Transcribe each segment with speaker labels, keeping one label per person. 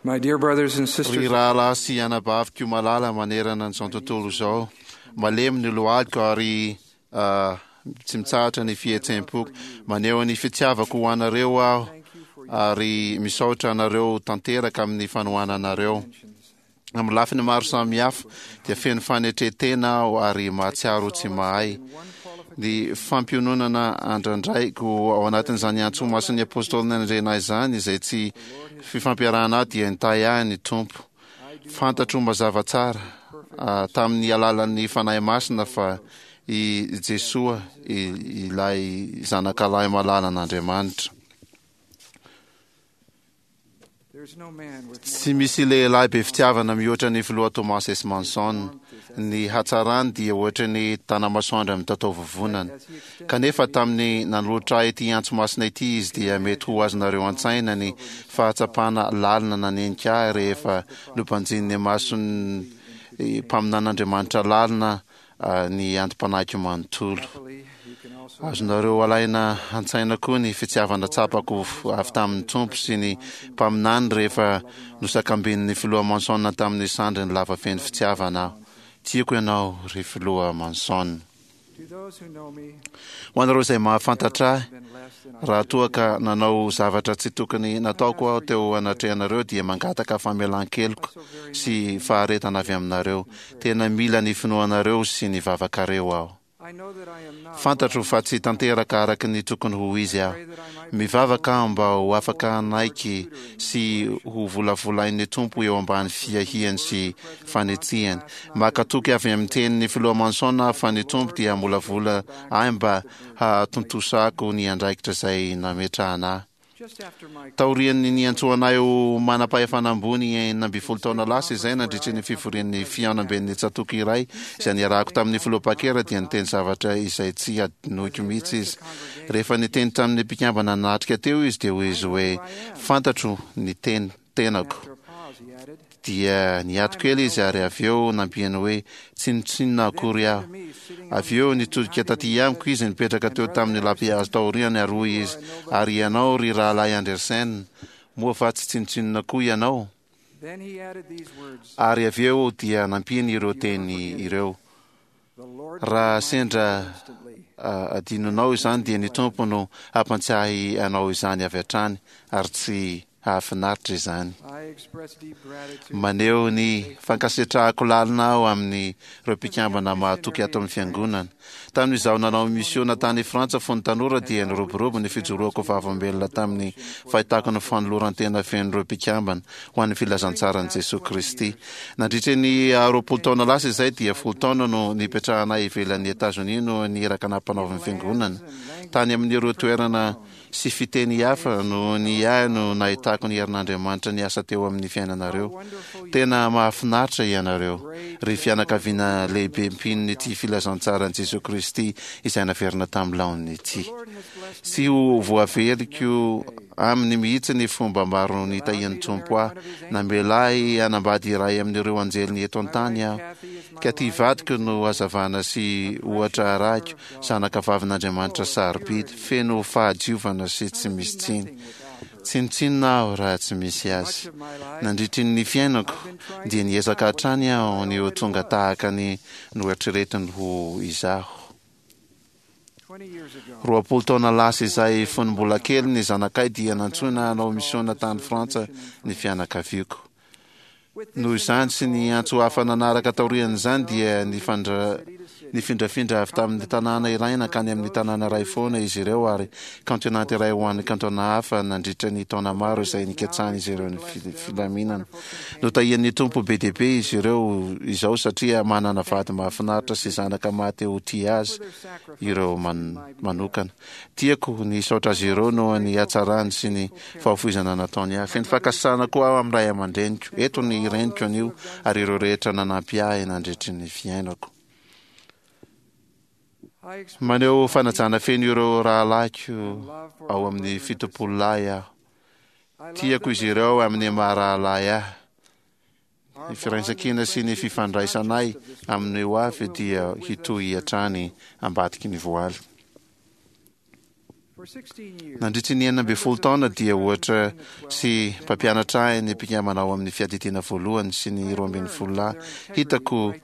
Speaker 1: My dear brothers and
Speaker 2: Ry
Speaker 1: sisters,
Speaker 2: rahalahy sy anabaviko malala manerana an'izao tontolo izao, malemy ny lohaliko ary tsy mitsahatra ny fihetseham-poko. Maneho ny fitiavako ho anareo aho ary misaotra anareo tanteraka amin'ny fanohananareo. Amin'ny lafiny maro samihafa dia feno fanetren-tena aho ary mahatsiaro tsy mahay. Ny fampiononana andrandraiko ao anatin'izany antso masin'ny Apôstôly nanendrena ahy izany, izay tsy fifampiarahana ahy, dia nitahy ahy ny Tompo. Fantatro mazava tsara tamin'ny alalan'ny Fanahy Masina fa i Jesoa ilay Zanakalahy malalan'Andriamanitra. Tsy misy lehilahy be fitiavana mihoatra ny Filoha Thomas S. Monson. Ny hatsarany dia ohatry ny tanamasoandro mitatao vovonana. Kanefa tamin'ny nanolotra ahy ity antso masina ity izy dia mety ho azonareo an-tsaina ny fahatsapana lalina nanenika ahy rehefa nobanjinin'ny mason'ny mpaminan'Andriamanitra lalina ny antom-panahiko manontolo. Azonareo alaina an-tsaina koa ny fitiavana tsapako avy tamin'ny Tompo sy ny mpaminany rehefa nosakambinin'ny Filoha Monson tamin'ny sandriny lava feno fitiavana aho. Tiako ianao, ry Filoha Monson. Ho anareo izay mahafantatra ahy, raha toa ka nanao zavatra tsy tokony nataoko aho teo anatrehanareo dia mangataka famelan-keloka sy faharetana avy aminareo. Tena mila ny finoanareo sy ny vavakareo aho. Fantatro fa tsy tanteraka araka ny tokony ho izy aho. Mivavaka aho mba ho afaka hanaiky sy ho volavolain'ny Tompo eo ambany fiahiany sy fanetsehany. Maka toky avy amin'ny tenin'ny Filoha Monson aho fa ny Tompo dia hamolavola ahy mba hahatontosako ny andraikitra izay nametrahana ahy. Taorian'ny niantsoana ahy ho manam-pahefana ambony 16 taona lasa izay nandritry ny fivorian'ny fihaonamben'ny tsatòka iray izay niarahako tamin'ny Filoha Packer dia niteny zavatra izay tsy hadinoiko mihitsy izy. Rehefa niteny tamin'ny mpikambana nanatrika teo izy dia hoy izy hoe, Fantatro ny tenako. Dia niato kely izy ary avy eo nampiany hoe, Tsinontsinona akory aho. Avy eo nitodika taty amiko izy nipetraka teo tamin'ny lapihazo taoriany ary hoy izy, Ary ianao ry Rahalahy Andersen, moa va tsy tsinontsinona koa ianao? Ary avy eo dia nampiany ireo teny ireo, Raha sendra adinonao izany dia ny Tompo no hampantsiahy anao izany avy hatrany ary tsy hahafinaritra izany. Maneho ny fankasitrahako lalina aho amin'ireo mpikambana mahatoky ato amin'ny Fiangonana. Tamin'izaho nanao misiona tany Frantsa fony tanora dia niroborobo ny fijoroako vavolombelona tamin'ny fahitako ny fanoloran-tena fenon'ireo mpikambana ho an'ny filazantsaran'i Jesoa Kristy. Nandritra ny 20 taona lasa izay dia folo taona no nipetrahanay ivelan'i Etazonia noho ny iraka nampanaovin'ny Fiangonana tany amin'ireo toerana sy fiteny hafa noho ny ahy no nahitako ny herin'Andriamanitra niasa teo amin'ny fiainanareo. Tena mahafinaritra ianareo, ry fianakaviana lehibe mpinon'ity filazantsaran'i Jesoa Kristy izay naverina tamin'ny laoniny ity. Tsy ho voaveriko aminy mihitsy ny fomba maro nitahian'ny Tompo ahy. Namela ahy hanambady iray amin'ireo anjeliny eto an-tany aho. Kathy vadiko no hazavana sy ohatra arahiko, zanaka vavin'Andriamanitra sarobidy, feno fahadiovana sy tsy misy tsiny. Tsinontsinona aho raha tsy misy azy. Nandritry ny fiainako, dia niezaka hatrany aho ny ho tonga tahaka ny noeritreretiny ho izaho. 20 taona lasa izay fony mbola kely ny zanakay dia nantsoina hanao misiona tany Frantsa ny fianakaviako. Noho izany sy ny antso hafa nanaraka taorian'izany dia nifindrafindra avy tamin'ny tanàna iray nankany amin'ny tanàna iray foana izy ireo ary kaontinanta iray ho an'ny kantona hafa nandritra ny taona maro izay nikatsahan'izy ireo ny filaminana. Notahian'ny Tompo be dia be izy ireo izao satria manana vady mahafinaritra sy zanaka maha-te ho tia azy ireo manokana. Tiako ny hisaotra azy ireo noho ny hatsarany sy ny fahafoizana nataony ahy. Feno fankasitrahana koa aho amin'ny ray aman-dreniko. Eto ny reniko anio ary ireo rehetra nanampy ahy nandritry ny fiainako. Maneho fanajana feno ireo rahalahiko ao amin'ny Fitopololahy aho. Tiako izy ireo amin'ny maha rahalahy ahy. Ny firaisankina sy ny fifandraisanay amin'ny ho avy dia hitohy hatrany ambadiky ny voaly. Nandritry ny 16 taona dia ohatra sy mpampianatra ahy ny mpikambana ao amin'ny Fiadidiana Voalohany sy ny Roambinifolo Lahy. Hitako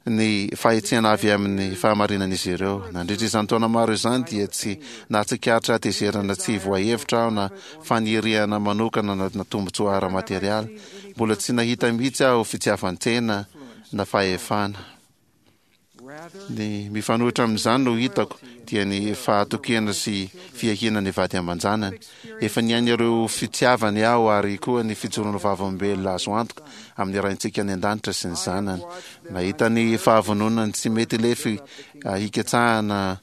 Speaker 2: ny fahetsehana avy amin'ny fahamarinan'izy ireo. Nandritra izany taona maro izany dia tsy nahatsikaritra hatezerana tsy voahevitra aho na faniriana manokana na tombontsoa ara-materialy. Mbola tsy nahita mihitsy aho fitiavan-tena na fahefana. Ny mifanohitra amin'izany no hitako dia ny fahatokiana sy fiahiana ny vady aman-janany. Efa niaina ireo fitiavany aho ary koa ny fijoroana vavolombelona azo antoka amin'ny Raintsika any An-danitra sy ny Zanany. Nahita ny fahavononany tsy mety lefy hikatsahana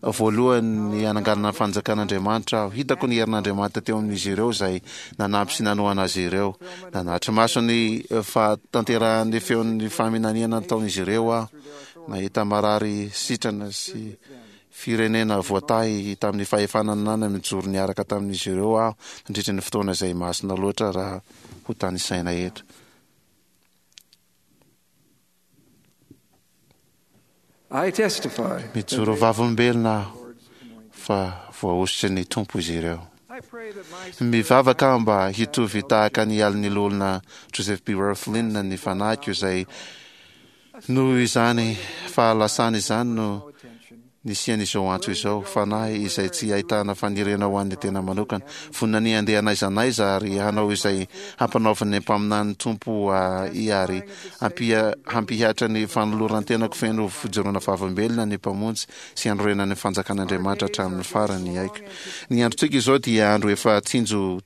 Speaker 2: voalohany ny hananganana ny fanjakan'Andriamanitra aho. Hitako ny herin'Andriamanitra teo amin'izy ireo izay nanampy sy nanohana azy ireo. Nanatri-maso ny fahatanterahan'ny feon'ny faminaniana nataon'izy ireo aho. Nahita marary sitrana sy firenena voatahy tamin'ny fahefana nananany mijoro niaraka tamin'izy ireo aho nandritra ny fotoana izay masina loatra raha ho tanisaina eto. Mijoro vavolombelona aho fa voahosotry ny Tompo izy ireo. Mivavaka aho mba hitovy tahaka ny alin'ny Loholona Joseph B. Wirthlin ny fanahiko izay noho izany fahalasana izany no nisian'izao antso izao, fanahy izay tsy ahitana faniriana ho an'ny tena manokana, vonona ny handeha n'aiza n'aiza ary hanao izay hampanaovin'ny mpaminany Tompo ahy ary hampihatra ny fanoloran-tenako feno fijoroana vavolombelona ny Mpamonjy sy hanorenana ny fanjakan'Andriamanitra hatramin'ny farany aiko. Ny androntsika izao dia andro efa tsinjo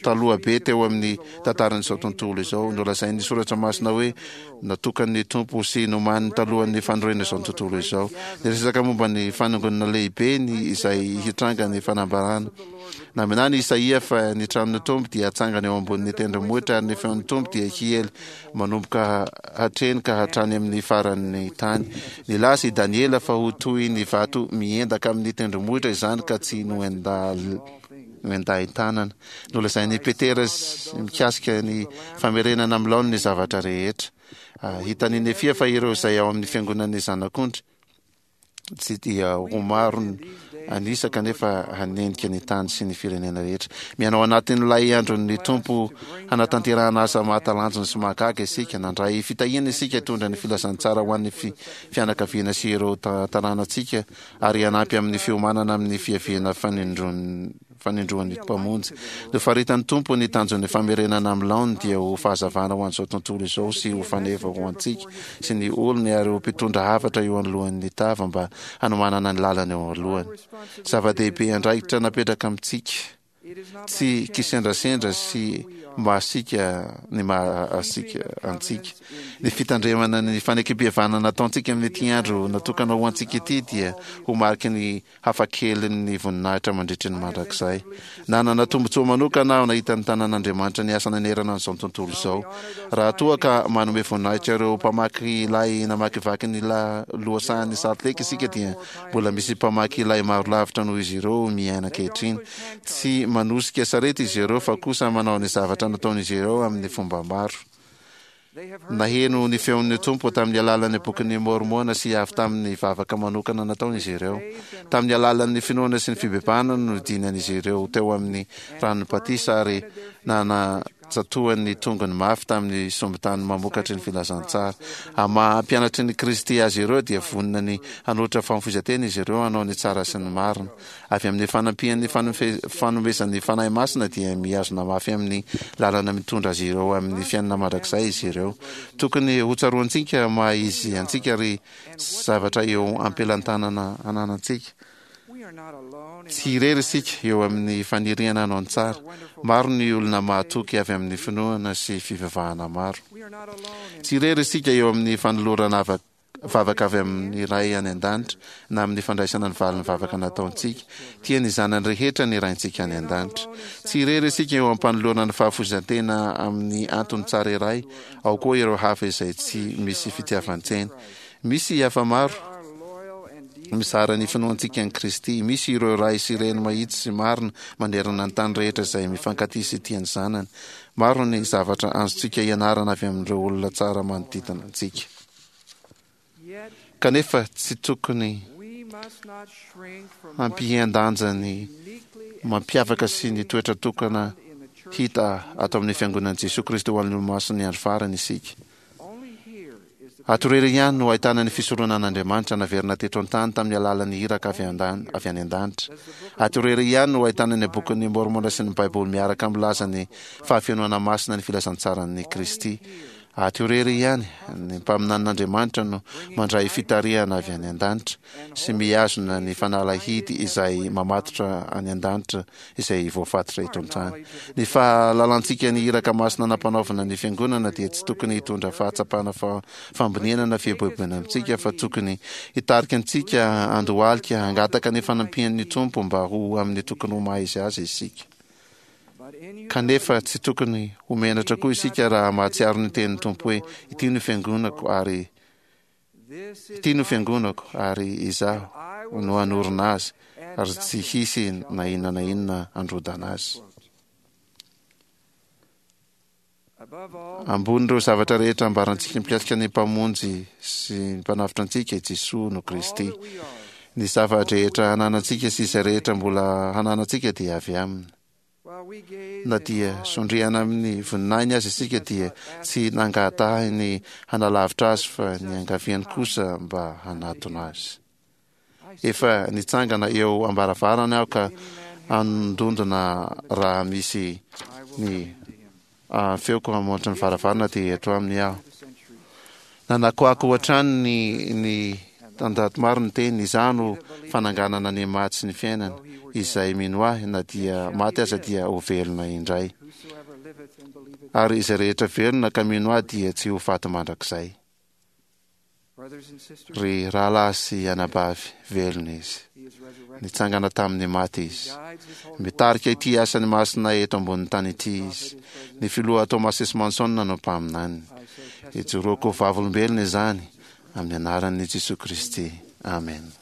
Speaker 2: taloha be teo amin'ny tantaran'izao tontolo izao. Nolazain'ny Soratra Masina hoe natokan'ny Tompo sy nomaniny talohan'ny fanorenana izao tontolo izao. Niresaka momba ny fanangonana lehibe ny izay hitranga ny fanambarana. Naminany Isaia fa ny tranon'ny Tompo dia hatsangana eo ambonin'ny tendrombohitra ary ny feon'ny Tompo dia hiely manomboka hatreny ka hatrany amin'ny faran'ny tany. Nilaza i Daniela fa ho toy ny vato miendaka amin'ny tendrombohitra izany ka tsy noendal noendahin-tanana. Nolazain'i Petera mikasika ny famerenana amin'ny laoniny ny zavatra rehetra. Hitan'i Nefia fa ireo izay ao amin'ny fiangonan'ny Zanak'ondry tsy dia ho maro an'isa kanefa hanenika ny tany sy ny firenena rehetra. Miaina ao anatin'ilay andron'ny Tompo hanatanterahana asa mahatalanjona sy mahagaga isika. Nandray fitahiana isika hitondra ny filazantsara ho an'ny fianakaviana sy ireo tanànantsika ary hanampy amin'ny fiomanana amin'ny fiaviana fanindroan'ny Mpamonjy. Nofaritan'ny Tompo ny tanjon'ny famerenana amin'ny laoniny dia ho fahazavana ho an'izao tontolo izao sy ho faneva ho antsika sy ny olony ary ho mpitondra hafatra eo anoloan'ny tava mba hanomanana ny lalana eo alohany. Zava-dehibe andraikitra napetraka amintsika. Tsy kisendrasendra sy mahasiaka ny mahasiaka antsika. Ny fitandremana ny fanekempihavanana nataontsika amin'ity andro natokana ho antsika ity dia ho mariky ny hafakelin'ny voninahitra mandritry ny mandrakizay. Nanana tombontsoa manokana aho nahita ny tanan'Andriamanitra niasa nanerana an'izao tontolo izao. Raha toa ka manome voninahitra ireo mpamaky lay namakivaky ny lohasahan'i Salt Lake isika dia Mbola misy mpamaky lay maro lavitra noho izy ireo miaina ankehitriny. Tsy manosika sarety izy ireo fa kosa manao ny zavatra nataon'izy ireo amin'ny fomba maro. Naheno ny feon'ny Tompo tamin'ny alalan'ny Bokin'i Môrmôna sy avy tamin'ny vavaka manokana nataony izy ireo. Tamin'ny alalan'ny finoana sy ny fibebahana no nidinan'izy ireo teo amin'ny ranon'ny batisa ary nana Tsatohany ny tongony mafy tamin'ny sombin-tany mamokatry ny filazantsara. Amin'ny maha mpianatry ny Kristy azy ireo dia vonona ny hanolotra famofoizan-tena izy ireo hanao ny tsara sy ny marina. Avy amin'ny fanampian'ny fanomezan'ny Fanahy Masina dia mihazona mafy amin'ny lalana mitondra azy ireo amin'ny fiainana mandrakizay izy ireo. Tokony hotsaroantsika maha izy antsika ry zavatra eo am-pelantanana ananantsika. Tsy irery isika eo amin'ny faniriana hanao ny tsara. Maro ny olona mahatoky avy amin'ny finoana sy fivavahana maro. Tsy irery isika eo amin'ny fanolorana vavaka avy amin'ny Ray any An-danitra na amin'ny fandraisana ny valin'ny vavaka nataontsika. Tia ny zanany rehetra ny Raintsika any An-danitra. Tsy irery isika eo am-panolorana ny fahafoizan-tena amin'ny antony tsara iray, ao koa ireo hafa izay tsy misy fitiavan-tena. Misy hafa maro mizara ny finoantsika an'i Kristy. Misy ireo ray sy reny mahitsy sy marina manerana ny tany rehetra izay mifankatia sy tia ny zanany. Maro ny zavatra azontsika ianarana avy amin'ireo olona tsara manodidina antsika. Kanefa tsy tokony Hampihen-danja ny mampiavaka sy ny toetra tokana hita ato amin'ny Fiangonan'i Jesoa Kristy ho an'ny Olomasin'ny Andro Farany isika. Ato irery ihany no ahitana ny fisoronan'Andriamanitra naverina teto an-tany tamin'ny alalan'ny iraka avy avy any an-danitra. Ato irery ihany no ahitana ny Bokin'i Môrmôna sy ny Baiboly miaraka milaza ny fahafenoana masina ny filazantsaran'i Kristy. Ato irery ihany, ny mpaminanin'Andriamanitra no mandray fitarihana avy any an-danitra sy mihazona ny fanalahidy izay mamatotra any an-danitra izay voafatotra eto an-tany. Ny fahalalantsika ny iraka masina nampanaovina ny Fiangonana dia tsy tokony hitondra fahatsapana fahamboniana na fieboeboana amintsika fa tokony hitarika antsika handohalika hangataka ny fanampian'ny Tompo mba ho amin'ny tokony ho maha izy azy isika. Kanefa tsy tokony ho menatra koa isika raha mahatsiaro ny tenin'ny Tompo hoe, Ity no fiangonako ary Ity no fiangonako ary Izaho no hanorina azy ary tsy hisy na inona na inona handrodana azy. Ambonin'ireo zavatra rehetra ambarantsika mikasika ny Mpamonjy sy ny Mpanavotra antsika, i Jesoa no Kristy. Ny zava-drehetra ananantsika sy izay rehetra mbola hananantsika dia avy Aminy. Na dia sondriana amin'ny voninahiny aza isika dia tsy nangatahiny hanalavitra Azy fa niangaviany kosa mba hanatona Azy. Efa nitsangana eo am-baravarana aho ka handondona raha misy ny feoko hamoatra ny varavarana dia eto aminy aho. Nanakoako hatrany ny ny tanjato maro ny teny, Izaho no fananganana ny maty sy ny fiainana, izay mino ahy na dia maty aza dia ho velona indray. Ary izay rehetra velona ka mino ahy dia tsy ho faty mandrakizay. Ry rahalahy sy anabavy, velona Izy. Nitsangana tamin'ny maty Izy. Mitarika ity asany masina eto ambonin'ny tany ity Izy. Ny Filoha Thomas S. Monson no mpaminaniny. Ijoroako ho vavolombelona izany, amin'ny anaran'i Jesoa Kristy. Amena.